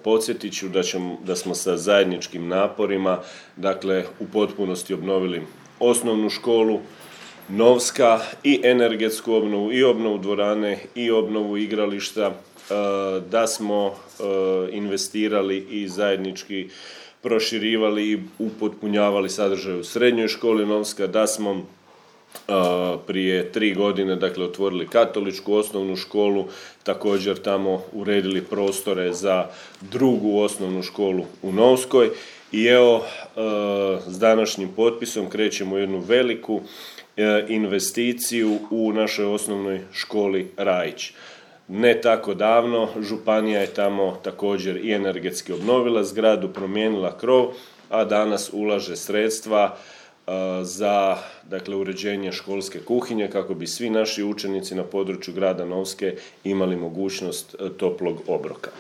Podsjetit ću da smo sa zajedničkim naporima, dakle, u potpunosti obnovili osnovnu školu Novska i energetsku obnovu i obnovu dvorane i obnovu igrališta, da smo investirali i zajednički proširivali i upotpunjavali sadržaj u srednjoj školi Novska, da smo prije 3 godine, dakle, otvorili katoličku osnovnu školu, također tamo uredili prostore za drugu osnovnu školu u Novskoj i evo, s današnjim potpisom krećemo u jednu veliku investiciju u našoj osnovnoj školi Rajić. Ne tako davno županija je tamo također i energetski obnovila zgradu, promijenila krov, a danas ulaže sredstva za, dakle, uređenje školske kuhinje kako bi svi naši učenici na području grada Novske imali mogućnost toplog obroka.